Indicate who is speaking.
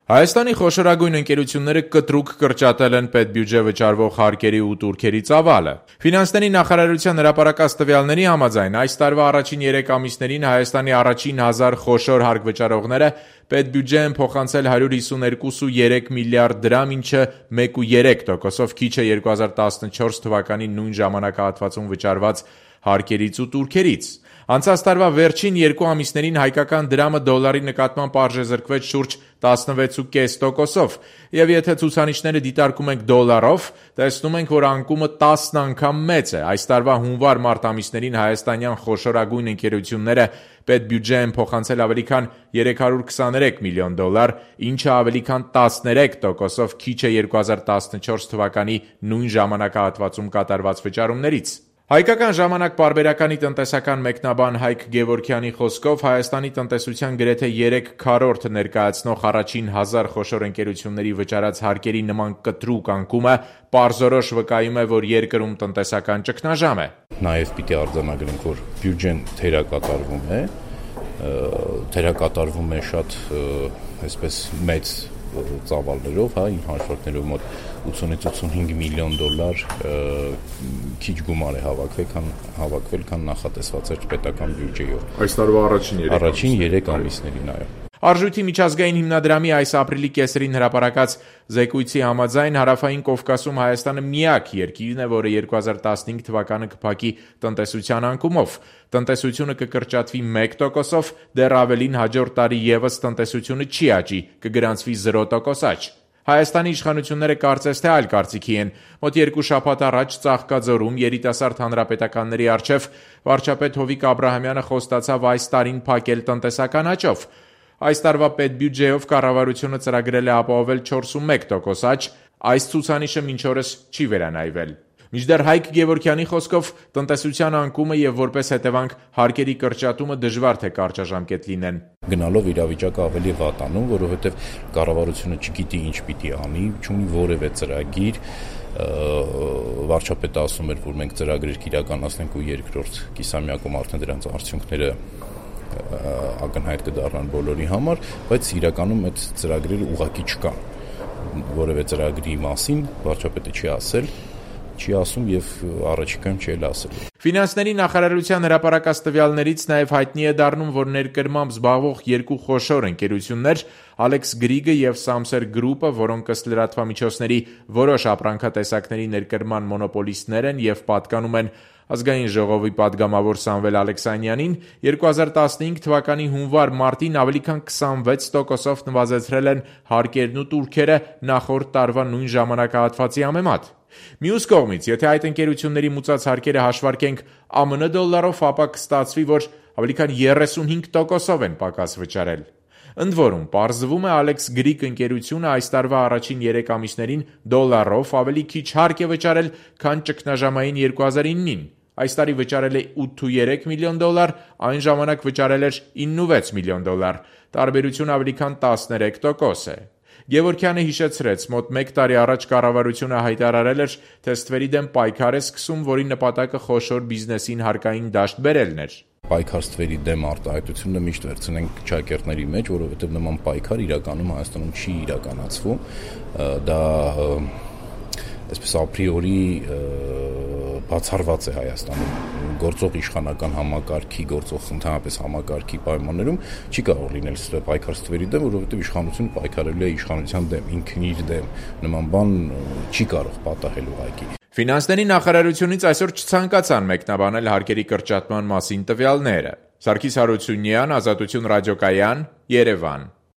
Speaker 1: Հայաստանի խոշորագույն ընկերությունները կտրուկ կրճատել են պետբյուջե վճարվող հարկերի ու տուրքերի ծավալը։ Ֆինանսների նախարարության հրապարակած տվյալների համաձայն այս տարվա առաջին 3 ամիսներին Հայաստանի առաջին 1000 խոշոր հարկ վճարողները պետբյուջե են փոխանցել 152.3 միլիարդ դրամ, ինչը 1.3%-ով քիչ է 2014 թվականի նույն ժամանակահատվածում վճարված հարկերից ու տուրքերից։ Անցած տարվա վերջին 2 ամիսներին հայկական դրամը դոլարի նկատմամբ արժեզրկվեց շուրջ 16.5%-ով, եւ եթե ցուցանիշները դիտարկում ենք դոլարով, տեսնում ենք, որ անկումը 10 անգամ մեծ է։ Այս տարվա հունվար-մարտ ամիսներին հայաստանյան խոշորագույն ընկերությունները պետբյուջե են փոխանցել ավելի քան 323 միլիոն դոլար, ինչը ավելի քան 13%-ով քիչ է 2014 թվականի նույն ժամանակահատվածում կատարված վճարումներից։ Հայկական ժամանակ պարբերականի տնտեսական մեկնաբան Հայկ Գևորգյանի խոսքով Հայաստանի տնտեսության գրեթե 3/4 ներկայացնող առաջին 1000 խոշոր ընկերությունների վճարած հարկերի նման կտրուկ անկումը պարզորոշ վկայում է, որ երկրում տնտեսական ճգնաժամ է։
Speaker 2: Նաև պիտի արձանագրենք, որ բյուջեն թերակատարվում է շատ այսպես մեծ ծավալներով, հաշվարկներով մոտ 80-85 միլիոն դոլար քիչ գումար է հավաքվել, քան նախատեսված էր պետական բյուջեով։
Speaker 1: Այս տարվա առաջին
Speaker 2: 3 ամիսներին, այո։
Speaker 1: Արժույթի միջազգային հիմնադրամի այս ապրիլի կեսերին հրապարակած զեկույցի համաձայն Հարավային Կովկասում Հայաստանը միակ երկիրն է, որը 2015 թվականը կփակի տնտեսության անկումով։ Տնտեսությունը կկրճատվի 1%-ով, դեռ ավելին հաջորդ տարի ևս տնտեսությունը չի աճի, կգրանցվի 0% աճ։ Հայաստանի իշխանությունները կարծես թե այլ կարծիքի են։ Մոտ 2 շաբաթ առաջ Ծաղկաձորում երիտասարդ հանրապետականների առջև վարչապետ Հովիկ Աբրահամյանը խոստացավ այս տարին փակել տնտեսական աճով։ Այս տարվա պետբյուջեով կառավարությունը ծրագրել է ապահովել 4.1% աճ, այս ցուցանիշը մինչ օրս չի վերանայվել։ Մինչդեռ Հայկ Գևորգյանի խոսքով տնտեսության անկումը եւ որպես հետևանք հարկերի կրճատումը դժվար թե կարճաժամկետ լինեն։
Speaker 2: Գնալով իրավիճակը ավելի վատանում, որովհետեւ կառավարությունը չգիտի ինչ պիտի անի, չունի որևէ ծրագիր։ Վարչապետը ասում էր, որ մենք ծրագրեր կիրականացնենք ու երկրորդ կիսամյակում արդեն դրանց արդյունքները ակնհայտ կդառնան բոլորի համար, բայց իրականում այդ ծրագրերը ուղղակի չկան։ Որևէ ծրագրի մասին վարչապետը չի ասում եւ առաջիկայում չի ասել։
Speaker 1: Ֆինանսների նախարարության հրապարակած տվյալներից նաև հայտնի է դառնում, որ ներկրմամբ զբաղվող 2 խոշոր ընկերություններ Alex Greig-ը եւ Samser Group-ը, որոնք ըստ լրատվամիջոցների որոշ ապրանքատեսակների ներկրման մոնոպոլիստներ են եւ պատկանում են Ազգային ժողովի պատգամավոր Սամվել Ալեքսանյանին, 2015 թվականի հունվար-մարտին ավելի քան 26%-ով նվազեցրել են հարկերն ու տուրքերը նախորդ տարվա նույն ժամանակահատվածի համեմատ։ Մյուս կողմից, եթե այդ ընկերությունների մուծած հարկերը հաշվարկենք ԱՄՆ դոլարով, ապա կստացվի, որ ավելի քան 35%-ով են պակաս վճարել։ Ընդ որում, պարզվում է Alex Greig ընկերությունը այս տարվա առաջին 3 ամիսներին դոլարով ավելի քիչ հարկ է վճարել, քան ճգնաժամային 2009-ին։ Այս տարի վճարել է 8.3 միլիոն դոլար, այն ժամանակ վճարել էր 9.6 միլիոն դոլար, տարբերությունը ավելի քան 13% է։ Գևորգյանը հիշեցրեց, մոտ 1 տարի առաջ կառավարությունը հայտարարել էր, թե ստվերի դեմ պայքար է սկսում, որի նպատակը խոշոր բիզնեսին հարկային դաշտ բերելն էր։
Speaker 2: Պայքար ստվերի դեմ արտահայտությունը միշտ վերցնենք ճակերտների մեջ, որովհետև նման պայքար իրականում Հայաստանում չի իրականացվում։ Դա այսպես ապրիորի բացառված է Հայաստանում գործող իշխանական համակարգի, գործող ընդհանրապես համակարգի պայմաններում չի կարող լինել պայքար ստվերի դեմ, որովհետև իշխանությունը պայքարել է իշխանության դեմ, ինքն իր դեմ, նման բան չի կարող պատահել ուղղակի։
Speaker 1: Ֆինանսների նախարարությունից այսօր չցանկացան մեկնաբանել հարկերի կրճատման մասին տվյալները։ Սարգիս Հարությունյան, Ազատություն ռադիոկայան, Երևան։